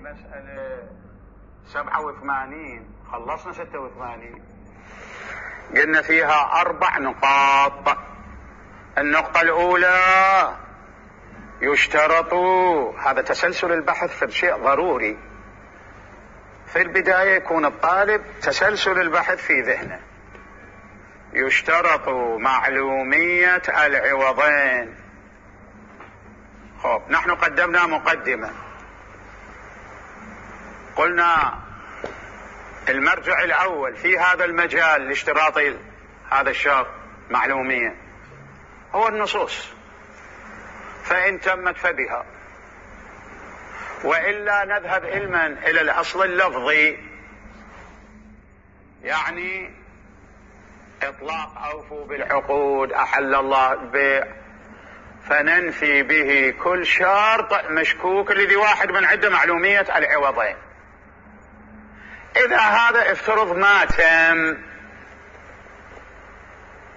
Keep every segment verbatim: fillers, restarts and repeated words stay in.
مسألة سبعة وثمانين خلصنا ستة وثمانين، قلنا فيها أربع نقاط. النقطة الأولى يشترط، هذا تسلسل البحث في شيء ضروري، في البداية يكون الطالب تسلسل البحث في ذهنه. يشترط معلومية العوضين. خب نحن قدمنا مقدمة، قلنا المرجع الأول في هذا المجال لاشتراط هذا الشرط معلومية هو النصوص، فإن تمت فبها، وإلا نذهب علما إلى الأصل اللفظي، يعني إطلاق أوفوا بالعقود أحل الله البيع، فننفي به كل شرط مشكوك الذي واحد من عنده معلومية العوضين. إذا هذا افترض ما تم،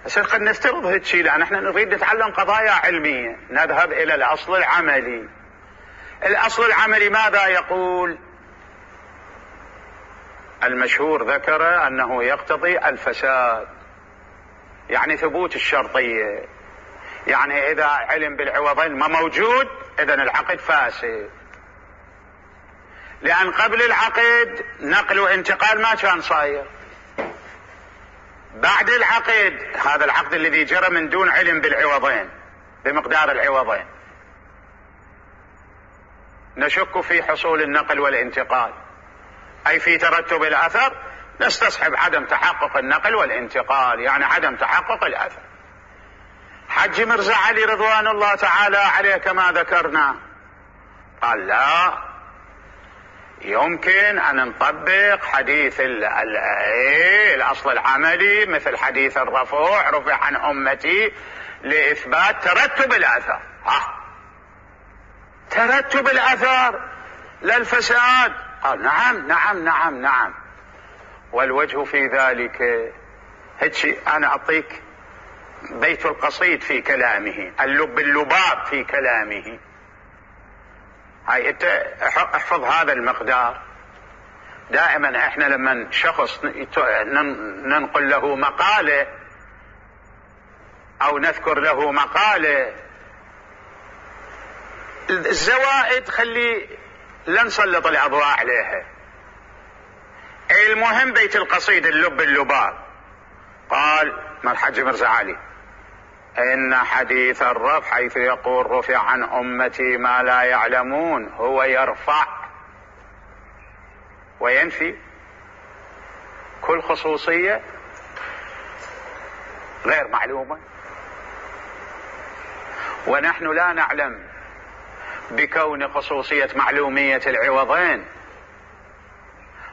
بس قد نفترض هالشيء لأن احنا نريد نتعلم قضايا علمية، نذهب إلى الأصل العملي. الأصل العملي ماذا يقول؟ المشهور ذكر أنه يقتضي الفساد، يعني ثبوت الشرطية، يعني إذا علم بالعوضين ما موجود إذن العقد فاسد، لأن قبل العقد نقل وانتقال ما كان صاير. بعد العقد، هذا العقد الذي جرى من دون علم بالعوضين بمقدار العوضين، نشك في حصول النقل والانتقال، أي في ترتب الأثر، نستصحب عدم تحقق النقل والانتقال، يعني عدم تحقق الأثر. حج مرزا علي رضوان الله تعالى عليه كما ذكرنا قال لا، يمكن أن نطبق حديث ال ال الأصل العملي مثل حديث الرفوع رفع عن أمتي لإثبات ترتب الأثر. ها ترتب الأثر للفساد؟ قال نعم نعم نعم نعم. والوجه في ذلك هيك، أنا أعطيك بيت القصيد في كلامه، اللب اللباب في كلامه. هاي انت احفظ هذا المقدار. دائما احنا لما شخص ننقل له مقالة او نذكر له مقالة، الزوائد خلي لا نسلط الاضواء عليها. المهم بيت القصيد اللب اللباب قال ما الحج مرزا علي إن حديث الرفع حيث يقول رفع عن أمتي ما لا يعلمون هو يرفع وينفي كل خصوصية غير معلومة، ونحن لا نعلم بكون خصوصية معلومية العوضين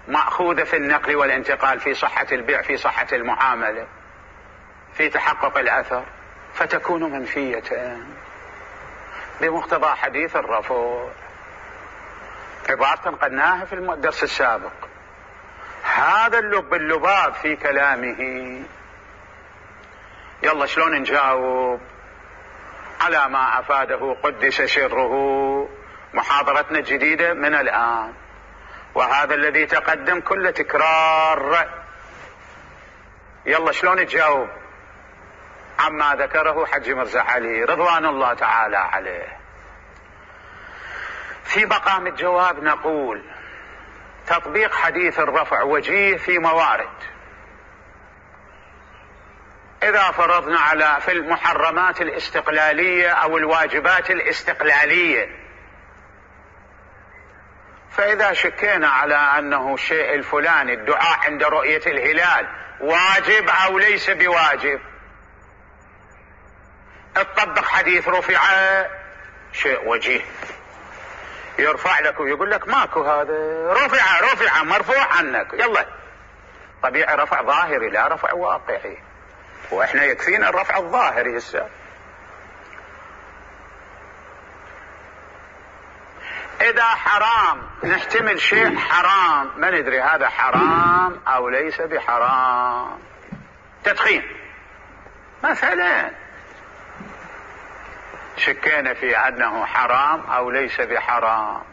مأخوذة في النقل والانتقال، في صحة البيع، في صحة المعاملة، في تحقق الأثر، فتكون منفية بمقتضى حديث الرفوع. عبارة قلناها في الدرس السابق. هذا اللب اللباب في كلامه. يلا شلون نجاوب على ما أفاده قدس سره محاضرتنا الجديدة من الآن، وهذا الذي تقدم كله تكرار. يلا شلون نجاوب عما ذكره حج مرزا علي رضوان الله تعالى عليه؟ في مقام الجواب نقول تطبيق حديث الرفع وجيه في موارد. إذا فرضنا على في المحرمات الاستقلالية أو الواجبات الاستقلالية، فإذا شكينا على أنه الشيء الفلاني الدعاء عند رؤية الهلال واجب أو ليس بواجب، تطبق حديث رفع شيء وجيه، يرفع لك ويقول لك ماكو هذا، رفع رفع مرفوع عنك، يلا طبيعي رفع ظاهري لا رفع واقعي، واحنا يكفينا الرفع الظاهري هسه. اذا حرام نحتمل شيء حرام ما ندري هذا حرام او ليس بحرام. تدخين مثلا شكينا في انه حرام او ليس بحرام،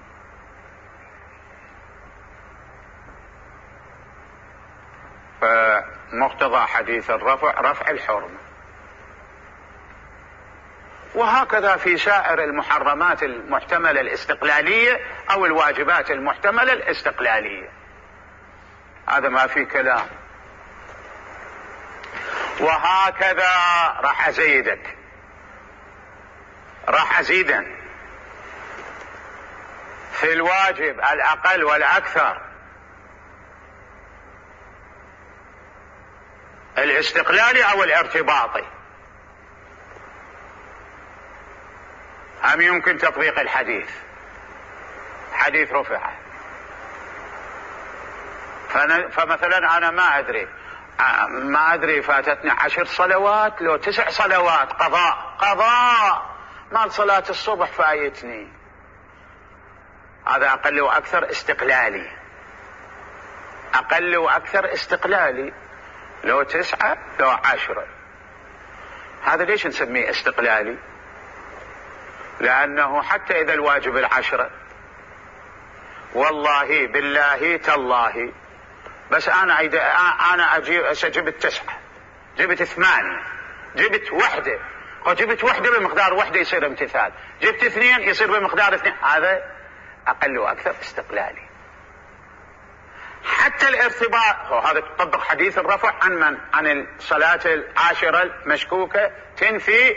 مقتضى حديث الرفع رفع الحرمة. وهكذا في سائر المحرمات المحتملة الاستقلالية أو الواجبات المحتملة الاستقلالية، هذا ما في كلام. وهكذا راح أزيدك راح أزيدا في الواجب الأقل والأكثر الاستقلالي أو الارتباطي، هم يمكن تطبيق الحديث، حديث رفعه. فمثلا أنا ما أدري ما أدري فاتتني عشر صلوات لو تسع صلوات قضاء قضاء مال صلاة الصبح فايتني، هذا أقل وأكثر استقلالي، أقل وأكثر استقلالي، لو تسعة لو عشرة. هذا ليش نسميه استقلالي؟ لأنه حتى إذا الواجب العشرة والله بالله تالله بس أنا أنا أجيب جبت تسعة جبت ثمانية جبت وحدة وجبت وحدة بمقدار وحدة يصير امتثال، جبت اثنين يصير بمقدار اثنين، هذا أقل وأكثر استقلالي. حتى الارتباط هذا تطبق حديث الرفع عن من؟ عن الصلاة العاشرة المشكوكة تنفي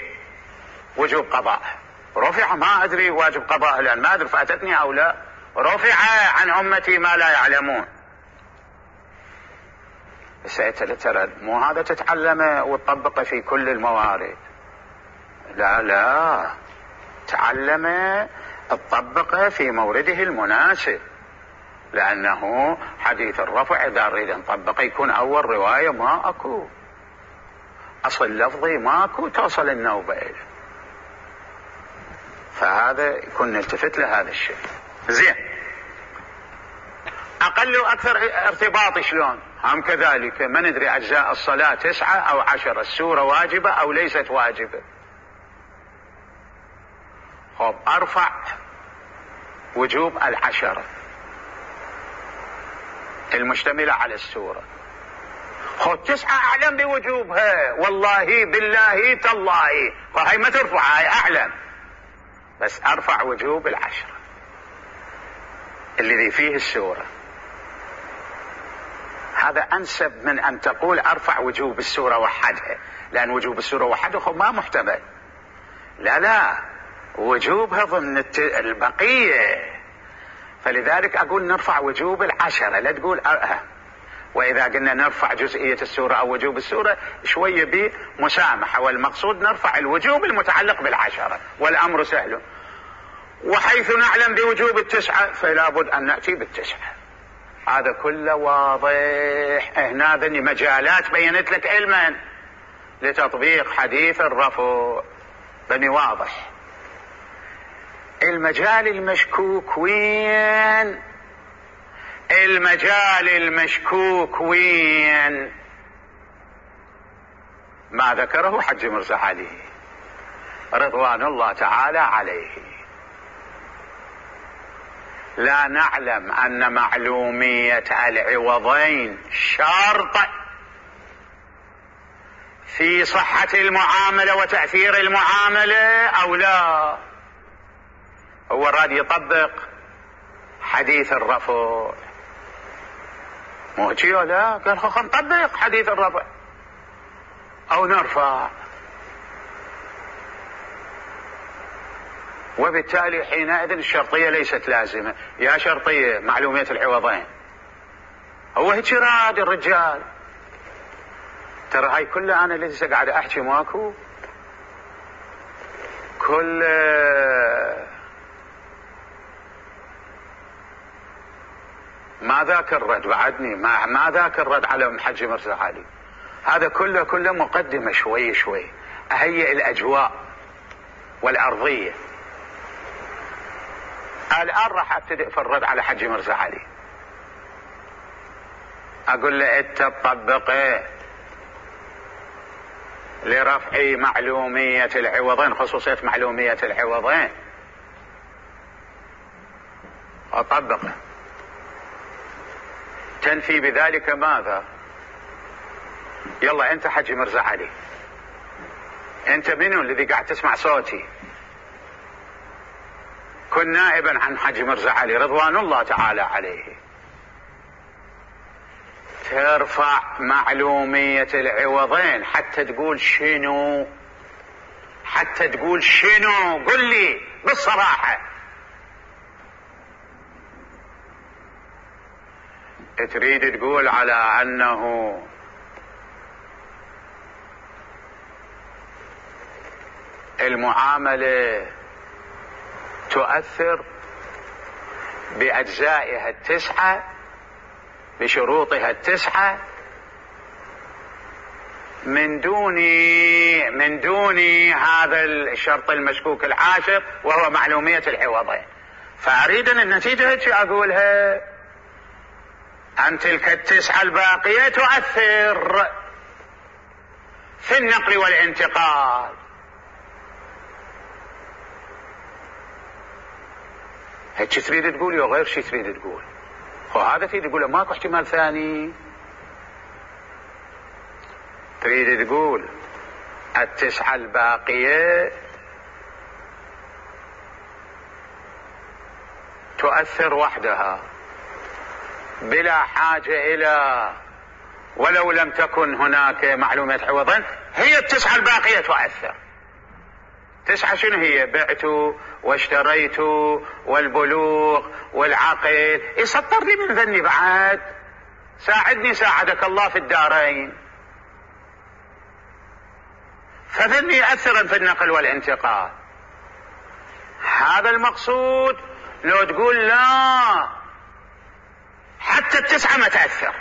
وجوب قضاء، رفع ما أدري واجب قضاء لأن ما أدري فاتتني أو لا، رفع عن أمتي ما لا يعلمون. بس ترى مو هذا تتعلمه وتطبقه في كل الموارد، لا لا، تعلمه تطبقه في مورده المناسب، لأنه حديث الرفع إذا نريد نطبقه يكون أول رواية ما أكو أصل لفظي ما أكو توصل النوبة إليه، فهذا يكون نلتفت لهذا الشيء. زين، أقل وأكثر ارتباط شلون؟ هم كذلك ما ندري أجزاء الصلاة تسعة أو عشرة، السورة واجبة أو ليست واجبة. خب أرفع وجوب العشرة المشتملة على السورة، خب تسعة أعلم بوجوبها والله بالله تالله، فهي ما ترفع، هاي أعلم، بس أرفع وجوب العشرة الذي فيه السورة. هذا أنسب من أن تقول أرفع وجوب السورة وحدها، لأن وجوب السورة وحدها خب ما محتمل، لا لا، وجوبها ضمن البقية، فلذلك أقول نرفع وجوب العشرة، لا تقول أه. وإذا قلنا نرفع جزئية السورة أو وجوب السورة شوية بمسامحة، والمقصود نرفع الوجوب المتعلق بالعشرة والأمر سهل. وحيث نعلم بوجوب التسعة فلا بد أن نأتي بالتسعة، هذا كله واضح. هنا ذني مجالات بينت لك علما لتطبيق حديث الرفع، بني واضح. المجال المشكوك وين؟ المجال المشكوك وين؟ ما ذكره حج مرزا علي رضوان الله تعالى عليه. لا نعلم أن معلومية العوضين شرط في صحة المعاملة وتأثير المعاملة أو لا. هو راد يطبق حديث الرفع، مو هيك لا؟ قال خو نطبق حديث الرفع أو نرفع، وبالتالي حينئذ الشرطية ليست لازمة. يا شرطية معلومية العوضين، هو هيك راد الرجال. ترى هاي كلها أنا لسه قاعد أحكي ماكو، كل ما ذاك الرد بعدني، ما, ما ذاك الرد على الحج مرزا علي، هذا كله كله مقدمة شوي شوي أهيئ الأجواء والأرضية. الآن راح أبتدئ في الرد على حج مرزا علي، أقول له أنت تطبقه لرفع معلومية العوضين، خصوصية معلومية العوضين، أطبقه تنفي بذلك ماذا؟ يلا انت حجي مرزا علي، انت منو الذي قاعد تسمع صوتي؟ كن نائبا عن حجي مرزا علي رضوان الله تعالى عليه. ترفع معلومية العوضين حتى تقول شنو؟ حتى تقول شنو؟ قل لي بالصراحة. تريد تقول على أنه المعاملة تؤثر بأجزائها التسعة بشروطها التسعة من دون من دون هذا الشرط المشكوك العاشر وهو معلومية العوضين. فأريد أن النتيجة هيك أقولها، أن تلك التسعة الباقية تؤثر في النقل والانتقال. هيك تريد تقول أو غير شي تريد تقول؟ وهذا تريد تقول ماكو احتمال ثاني. تريد تقول التسعة الباقية تؤثر وحدها بلا حاجة إلى، ولو لم تكن هناك معلومات عوضا، هي التسعة الباقية تؤثر. تسعة شنو هي؟ بعت واشتريت والبلوغ والعقل. يسطر لي من ذني بعد، ساعدني ساعدك الله في الدارين. فذني يأثرا في النقل والانتقال، هذا المقصود. لو تقول لا حتى التسعة ما تأثر،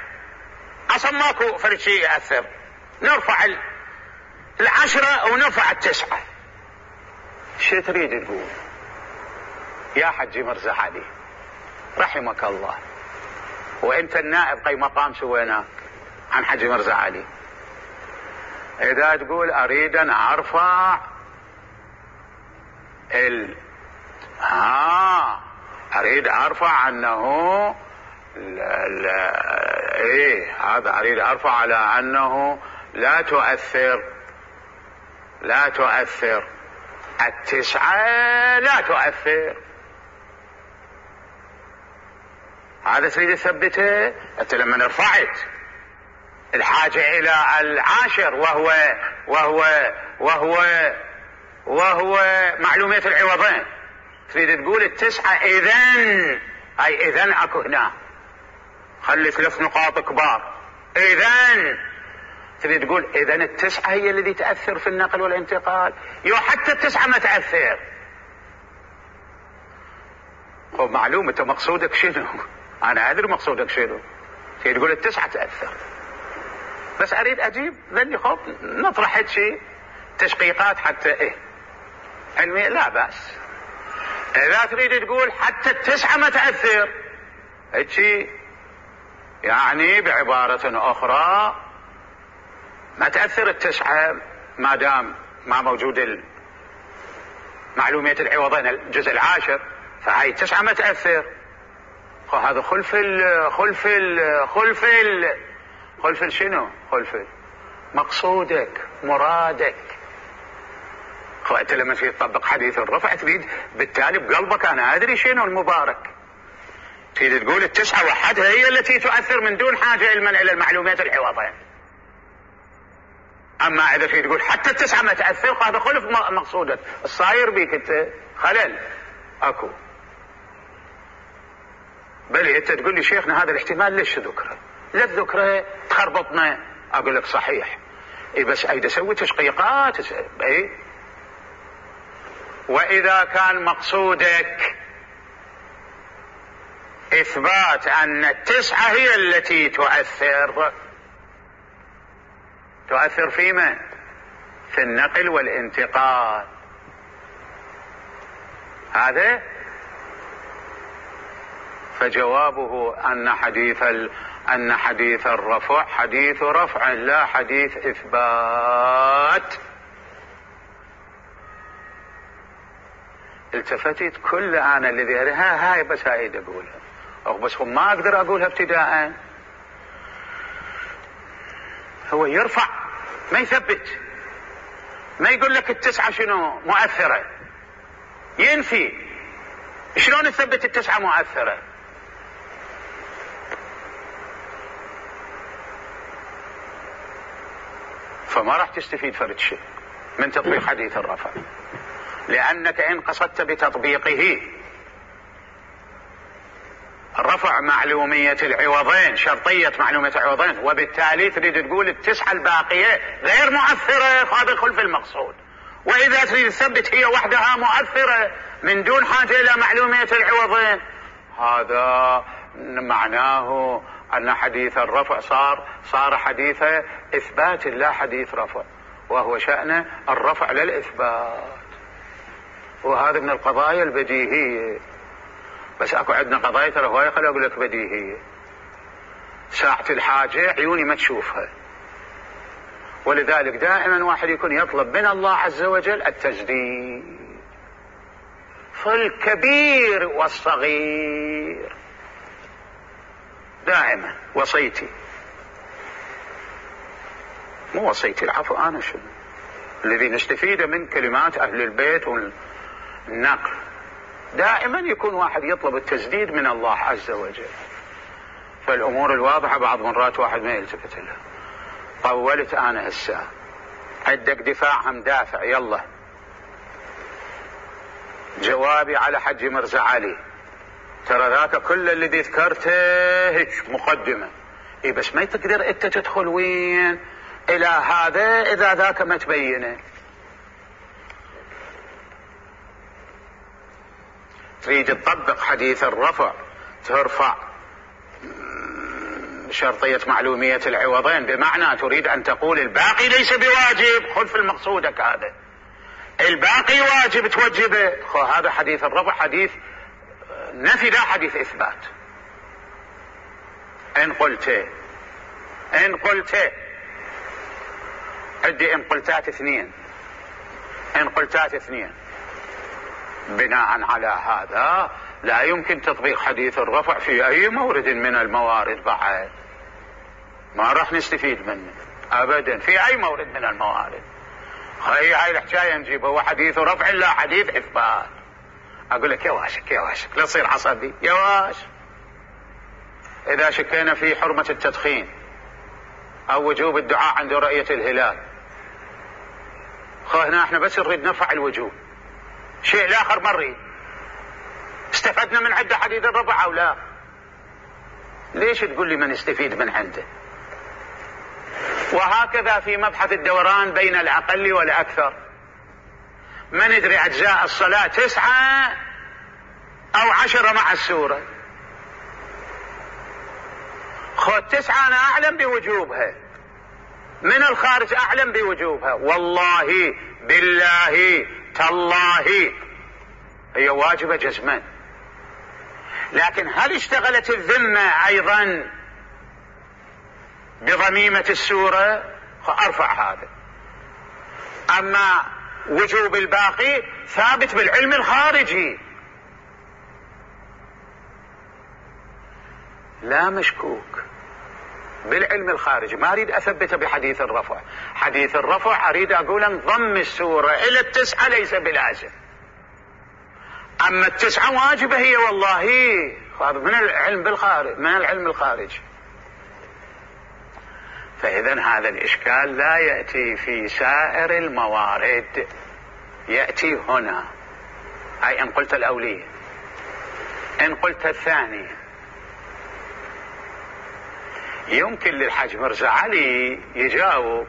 أصلا ماكو فرد شيء يأثر، نرفع العشرة أو نرفع التسعة، شو تريد تقول يا حجي مرزا علي رحمك الله؟ وانت النائب قي مقام سويناك عن حجي مرزا علي. اذا تقول اريد ان ارفع ال ها اريد ارفع انه ال... ال... ايه هذا اريد ارفع على انه لا تؤثر لا تؤثر التسعة لا تؤثر. هذا تريد تثبته. انت لما رفعت الحاجة الى العاشر وهو وهو وهو وهو معلومية العوضين، تريد تقول التسعة اذن، اي اذن اكو هنا، خلي ثلاث نقاط كبار. اذن تريد تقول اذن التسعة هي التي تأثر في النقل والانتقال. يو حتى التسعة ما تأثر. هو معلومة مقصودك شنو؟ انا ادري مقصودك شنو. تريد تقول التسعة تأثر، بس اريد اجيب ذني خب نطرح شيء تشقيقات حتى ايه علمي لا بأس. اذا تريد تقول حتى التسعة ما تأثر، هيك يعني بعبارة اخرى ما تأثر التسعة ما دام ما موجود معلومية العوضين الجزء العاشر، فهاي التسعة ما تأثر. هذا خلف ال خلف ال خلف ال خلف ال شنو؟ خلف ال مقصودك مرادك. انت لما تريد تطبق حديث الرفع تريد بالتالي بقلبك انا ادري شنو المبارك، تريد تقول التسعة وحدها هي التي تؤثر من دون حاجة المنع الى المعلومات العوضين. اما اذا تريد تقول حتى التسعة ما تأثر، هذا خلف مقصودك، الصاير بيك انت خلل اكو. بل انت تقول لي شيخنا هذا الاحتمال ليش ذكره؟ لا الذكره تخربطنا. اقول لك صحيح، اي بس ايد اسوي تشقيقات اي. واذا كان مقصودك اثبات ان التسعة هي التي تؤثر، تؤثر فيما؟ في النقل والانتقال. هذا فجوابه ان حديث ال... ان حديث الرفع حديث رفع لا حديث اثبات. التفتت كل انا الذي ها هاي بس هاي اقولها، او بس ما اقدر اقولها ابتداء. هو يرفع ما يثبت، ما يقول لك التسعة شنو مؤثرة، ينفي. شلون تثبت التسعة مؤثرة؟ فما راح تستفيد فرد شيء من تطبيق حديث الرفع، لأنك إن قصدت بتطبيقه رفع معلومية العوضين، شرطية معلومية العوضين، وبالتالي تريد تقول التسعة الباقية غير مؤثرة، هذا خلف المقصود. وإذا تريد تثبت هي وحدها مؤثرة من دون حاجة إلى معلومية العوضين، هذا معناه أن حديث الرفع صار صار حديث إثبات لا حديث رفع، وهو شأن الرفع للإثبات. وهذا من القضايا البديهية، بس اكو عندنا قضايا ترى هواي خلي اقول لك بديهية، ساعة الحاجة عيوني ما تشوفها. ولذلك دائما واحد يكون يطلب من الله عز وجل التجديد في الكبير والصغير، دائما وصيتي، مو وصيتي العفو، انا شنو الذي نستفيده من كلمات اهل البيت والنقل، دائما يكون واحد يطلب التسديد من الله عز وجل. فالامور الواضحة بعض مرات واحد ما يلتفت لها. طولت انا هسه، عندك دفاع هم دافع، يلا جوابي على حج مرزا علي، ترى ذاك كل الذي ذكرته هيك مقدمة، اي بس ما تقدر انت تدخل وين الى هذا اذا ذاك ما تبينه. تريد تطبق حديث الرفع ترفع شرطية معلومية العوضين، بمعنى تريد أن تقول الباقي ليس بواجب، خلف المقصودك هذا، الباقي واجب توجبه. هذا حديث الرفع حديث نفي لا حديث إثبات. إن قلت إن قلت عندي إن قلتات اثنين، إن قلتات اثنين، بناء على هذا لا يمكن تطبيق حديث الرفع في أي مورد من الموارد، بعد ما راح نستفيد منه أبدا في أي مورد من الموارد. هاي هاي الحكاية نجيبها، هو حديث رفع لا حديث إثبات. أقول لك يا واشك يا واشك لا تصير عصبي يا واش. إذا شكينا في حرمة التدخين أو وجوب الدعاء عند رؤية الهلال، خو هنا احنا بس نريد نرفع الوجوب، شيء الآخر ما نريد. استفدنا من عنده حديث الرفع أو لا؟ ليش تقول لي ما نستفيد من عنده؟ وهكذا في مبحث الدوران بين الأقل والأكثر، ما ندري أجزاء الصلاة تسعة أو عشرة مع السورة، خذ تسعة أنا أعلم بوجوبها، من الخارج أعلم بوجوبها، والله بالله تالله هي واجبة جزما. لكن هل اشتغلت الذمة أيضا بضميمة السورة؟ أرفع هذا. أما وجوب الباقي ثابت بالعلم الخارجي لا مشكوك، بالعلم الخارجي، ما أريد أثبته بحديث الرفع. حديث الرفع أريد أقول انضم السورة إلى التسعة ليس بلازم، أما التسعة واجبة هي والله، هذا من العلم بالخارج، من العلم الخارجي. فإذا هذا الإشكال لا يأتي في سائر الموارد، يأتي هنا. أي إن قلت الأولية. إن قلت الثانية، يمكن للحاج مرزا علي يجاوب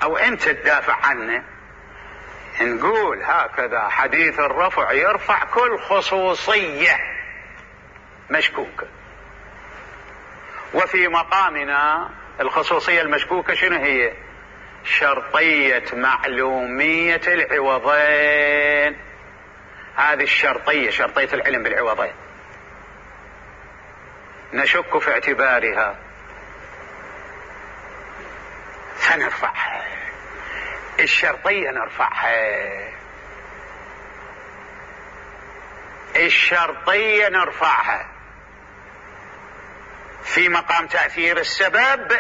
أو أنت تدافع عنه، نقول هكذا حديث الرفع يرفع كل خصوصية مشكوكة، وفي مقامنا الخصوصية المشكوكة شنو هي؟ شرطية معلومية العوضين. هذه الشرطية، شرطية العلم بالعوضين، نشك في اعتبارها فنرفعها، الشرطية نرفعها، الشرطية نرفعها. في مقام تأثير السبب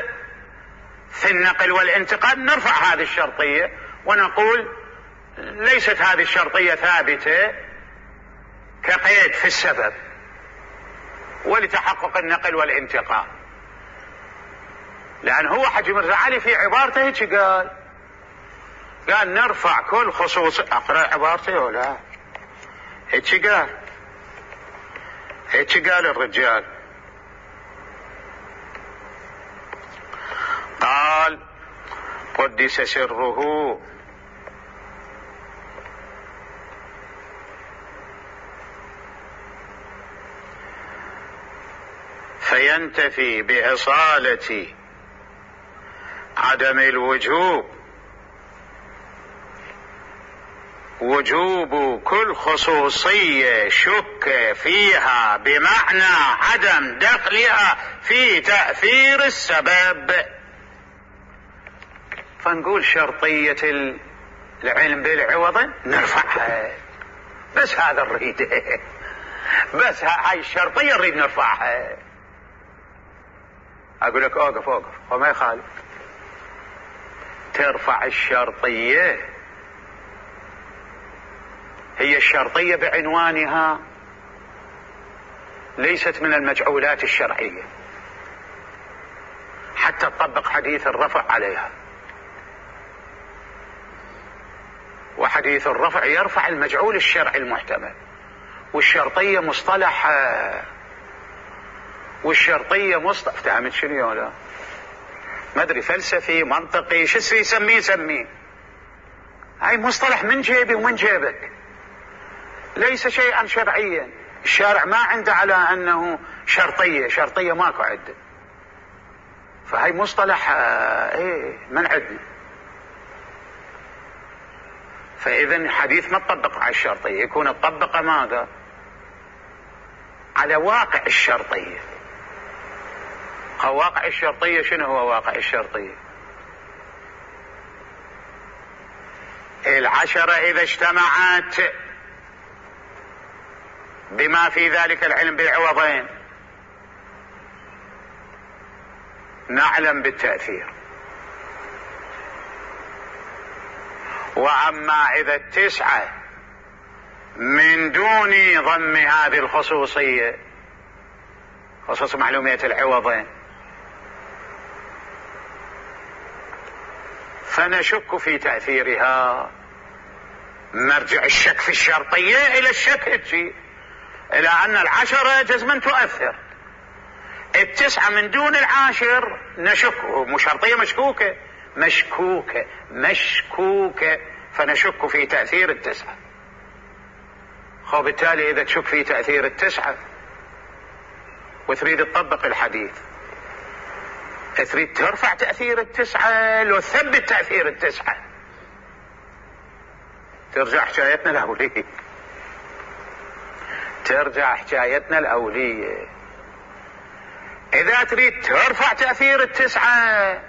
في النقل والانتقال نرفع هذه الشرطية ونقول ليست هذه الشرطية ثابتة كقيد في السبب ولتحقق النقل والانتقال. لأن هو حجي مرزا علي في عبارته هيك قال قال نرفع كل خصوص. أقرأ عبارته ولا هيك قال هيك قال الرجال قال قدس سره فينتفي بإصالة عدم الوجوب وجوب كل خصوصية شك فيها بمعنى عدم دخلها في تأثير السبب. فنقول شرطية العلم بالعوض نرفعها، بس هذا نريد بس هاي الشرطية نريد نرفعها. أقول لك أوقف أوقف وما يخالف ترفع الشرطية. هي الشرطية بعنوانها ليست من المجعولات الشرعية حتى تطبق حديث الرفع عليها، وحديث الرفع يرفع المجعول الشرعي المحتمل، والشرطية مصطلح والشرطية مصطلح فهمت شنو ولا ما ادري فلسفي منطقي شو يسميه سميه. هاي مصطلح من جيبي ومن جيبك، ليس شيئا شرعيا. الشارع ما عنده على انه شرطية شرطية ماكو عده، فهاي مصطلح ايه من عندنا. فاذا حديث ما تطبق على الشرطية، يكون تطبق ماذا على واقع الشرطية. واقع الشرطية شنو هو واقع الشرطية؟ العشرة إذا اجتمعت بما في ذلك العلم بالعوضين نعلم بالتأثير. وأما إذا التسعة من دون ضم هذه الخصوصية خصوص معلومية العوضين فنشك في تأثيرها. مرجع الشك في الشرطية إلى الشك الشيء إلى أن العشرة جزما تؤثر، التسعة من دون العاشر نشك، مشرطية مشكوكة مشكوكة مشكوكة فنشك في تأثير التسعة. خو بالتالي إذا تشك في تأثير التسعة وتريد تطبق الحديث تريد ترفع تأثير التسعة لو ثبت تأثير التسعة ترجع حكايتنا الأولية ترجع حكايتنا الأولية. إذا تريد ترفع تأثير التسعة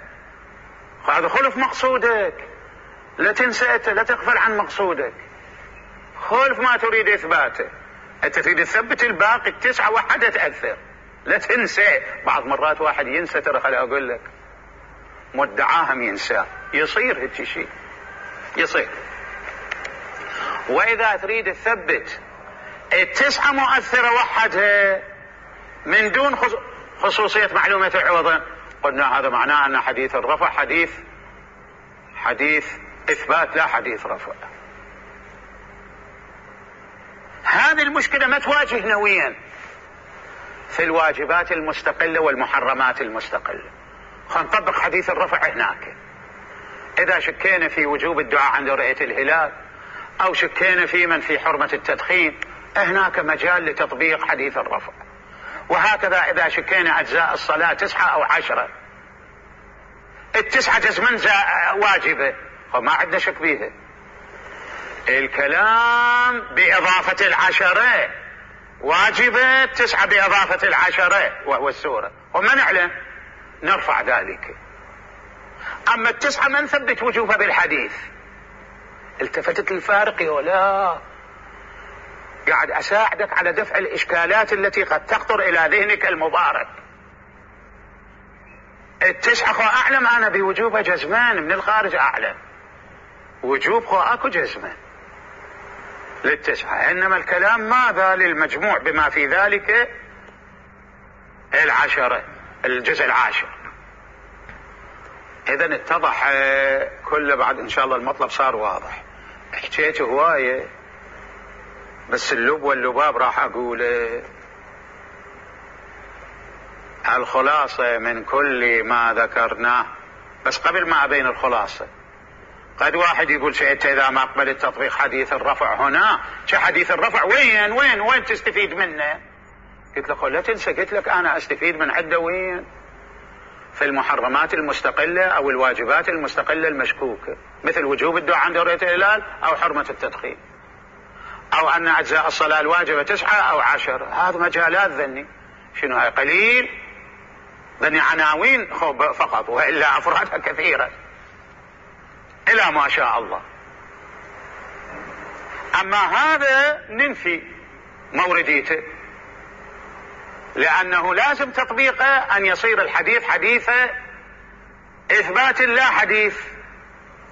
هذا خلف مقصودك، لا تنسى لا تغفل عن مقصودك، خلف ما تريد إثباته. أنت تريد تثبت الباقي التسعة وحدة تأثر، لا تنسى. بعض مرات واحد ينسى، ترى خلي أقول لك مدعاهم ينسى، يصير هيك شيء يصير. وإذا تريد تثبت التسعة مؤثرة وحدها من دون خصوصية معلومة العوضين قلنا هذا معناه أن حديث الرفع حديث حديث إثبات لا حديث رفع. هذه المشكلة ما تواجه نويا في الواجبات المستقلة والمحرمات المستقلة. خلينا نطبق حديث الرفع هناك. إذا شكينا في وجوب الدعاء عند رؤية الهلال أو شكينا في من في حرمة التدخين هناك مجال لتطبيق حديث الرفع. وهكذا إذا شكينا أجزاء الصلاة تسعة أو عشرة، التسعة جزما واجبة فما عندنا شك بيها. الكلام بإضافة العشرة واجبة، تسعة بإضافة العشرة وهو السورة، وما نعلم نرفع ذلك. أما التسعة ما نثبت وجوبها بالحديث. التفتت الفارق ولا قاعد أساعدك على دفع الإشكالات التي قد تخطر إلى ذهنك المبارك. التسعة خو أعلم أنا بوجوبها جزمان، من الخارج أعلم وجوب خو أكو جزمان للتسعة، إنما الكلام ماذا للمجموع بما في ذلك العشرة، الجزء العاشر. إذن اتضح كل بعد إن شاء الله المطلب صار واضح. حكيت هواية بس اللب واللباب راح أقوله. الخلاصة من كل ما ذكرناه، بس قبل ما أبين الخلاصة قد واحد يقول شيء إذا ما أقبل التطبيق حديث الرفع هنا، شو حديث الرفع وين وين وين تستفيد منه؟ قلت له لا تنسى، قلت لك أنا أستفيد من عده وين؟ في المحرمات المستقلة أو الواجبات المستقلة المشكوكة، مثل وجوب الدعاء عند رؤية الهلال أو حرمة التدخين، أو أن أجزاء الصلاة الواجبة تسعة أو عشر. هذا مجالات ذني، شنو هاي قليل ذني عناوين فقط، وإلا أفرادها كثيرة إلى ما شاء الله. أما هذا ننفي مورديته، لأنه لازم تطبيقه أن يصير الحديث حديث إثبات لا حديث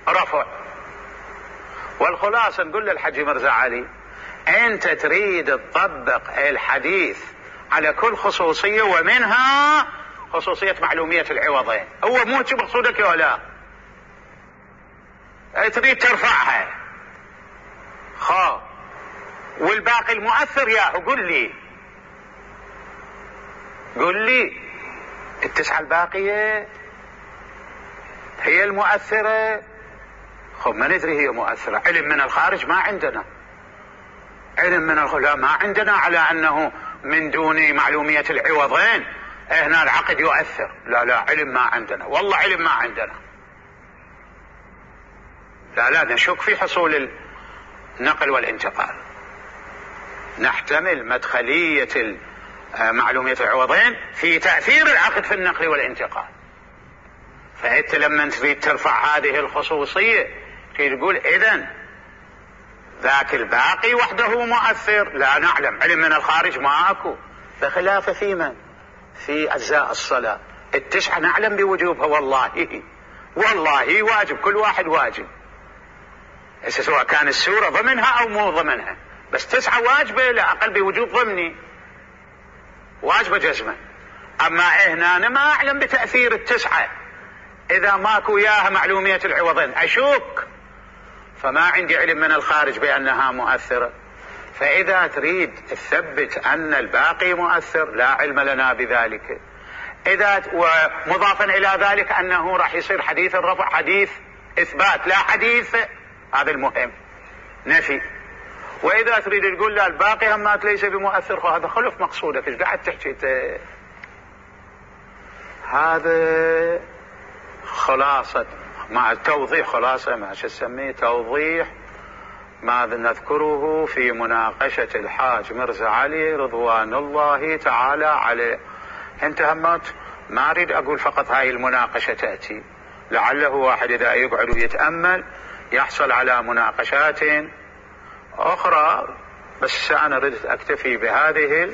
رفع. والخلاصة نقول للحج مرزا علي، أنت تريد تطبق الحديث على كل خصوصية، ومنها خصوصية معلومية العوضين. هو مو شو مقصودك ولا تريد ترفعها خا، والباقي المؤثر ياهو قل لي قل لي التسعة الباقية هي المؤثرة. خب ما ندري هي مؤثرة، علم من الخارج ما عندنا، علم من الخارج ما عندنا على أنه من دون معلومية العوضين هنا العقد يؤثر. لا لا علم ما عندنا، والله علم ما عندنا. لا لا نشك في حصول النقل والانتقال، نحتمل مدخلية معلومية العوضين في تأثير العقد في النقل والانتقال. فأنت لما تريد ترفع هذه الخصوصية تقول إذن ذاك الباقي وحده مؤثر. لا نعلم، علم من الخارج ما أكو، بخلاف في من في أجزاء الصلاة التسعة نعلم بوجوبها، والله والله واجب، كل واحد واجب، سواء كان السورة ضمنها أو مو ضمنها، بس تسعة واجبة لا أقل بوجوب ضمني، واجبة جزمة. أما هنا أنا ما أعلم بتأثير التسعة إذا ماكو إياها معلومية العوضين، أشك، فما عندي علم من الخارج بأنها مؤثرة. فإذا تريد تثبت أن الباقي مؤثر لا علم لنا بذلك. إذا ومضافا إلى ذلك أنه راح يصير حديث الرفع حديث إثبات لا حديث، هذا المهم نفي. وإذا تريد تقول لا الباقي همات ليس بمؤثر، هذا خلف مقصودك، ايش قاعد تحكي؟ هذا خلاصة مع التوضيح، خلاصة ما شو تسميه توضيح ما نذكره في مناقشة الحاج مرزا علي رضوان الله تعالى عليه. انت همات ما اريد اقول فقط هاي المناقشة تأتي، لعله واحد اذا يقعد ويتأمل يحصل على مناقشات اخرى، بس انا ردت اكتفي بهذه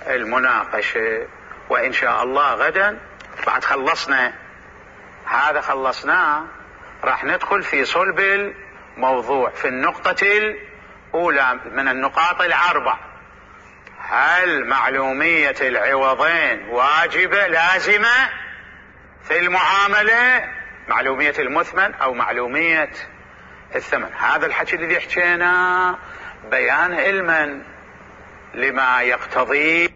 المناقشة. وان شاء الله غدا بعد خلصنا هذا خلصناه راح ندخل في صلب الموضوع في النقطة الأولى من النقاط الأربع. هل معلومية العوضين واجبة لازمة في المعاملة، معلومية المثمن أو معلومية الثمن؟ هذا الحكي الذي حكينا بيان علما لما يقتضي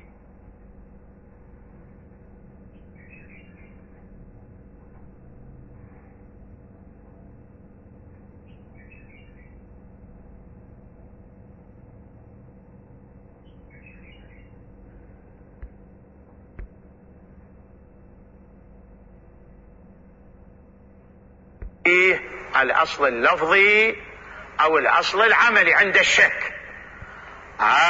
الأصل اللفظي أو الأصل العملي عند الشك.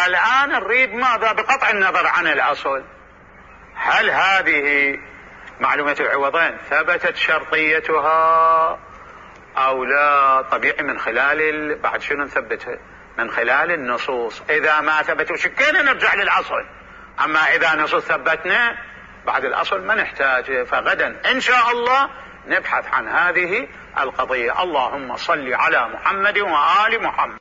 الآن نريد ماذا بقطع النظر عن الأصل، هل هذه معلومة العوضين ثبتت شرطيتها أو لا؟ طبيعي من خلال بعد شنو نثبتها؟ من خلال النصوص. إذا ما ثبتوا شكينا نرجع للأصل، أما إذا نصوص ثبتنا بعد الأصل ما نحتاجه. فغدا إن شاء الله نبحث عن هذه القضية. اللهم صل على محمد وآل محمد.